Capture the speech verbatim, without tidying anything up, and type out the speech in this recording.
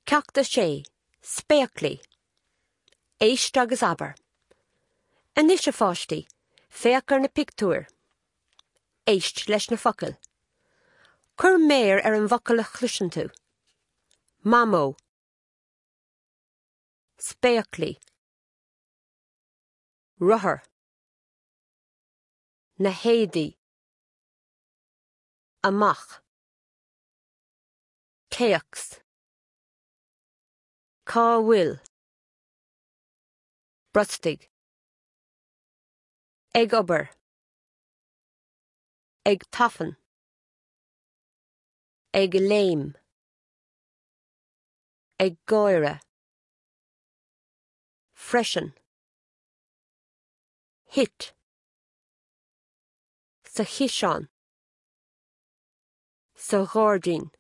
Ceacht a sé, Spéaclaí. Éist agus abair. Anois a pháistí, féach ar na pictiúir. Éist leis na focail. Cuir méar ar an bhfocal a chloiseann tú. Mamó. Spéaclaí. Rothar. Na héadaí. Amach. Téacs. Cá bhfuil. Brostaigh. Ag obair. Ag tafann. Ag léim. Ag gáire. Freisin. Thit. Sa chiseán. Sa ghairdín.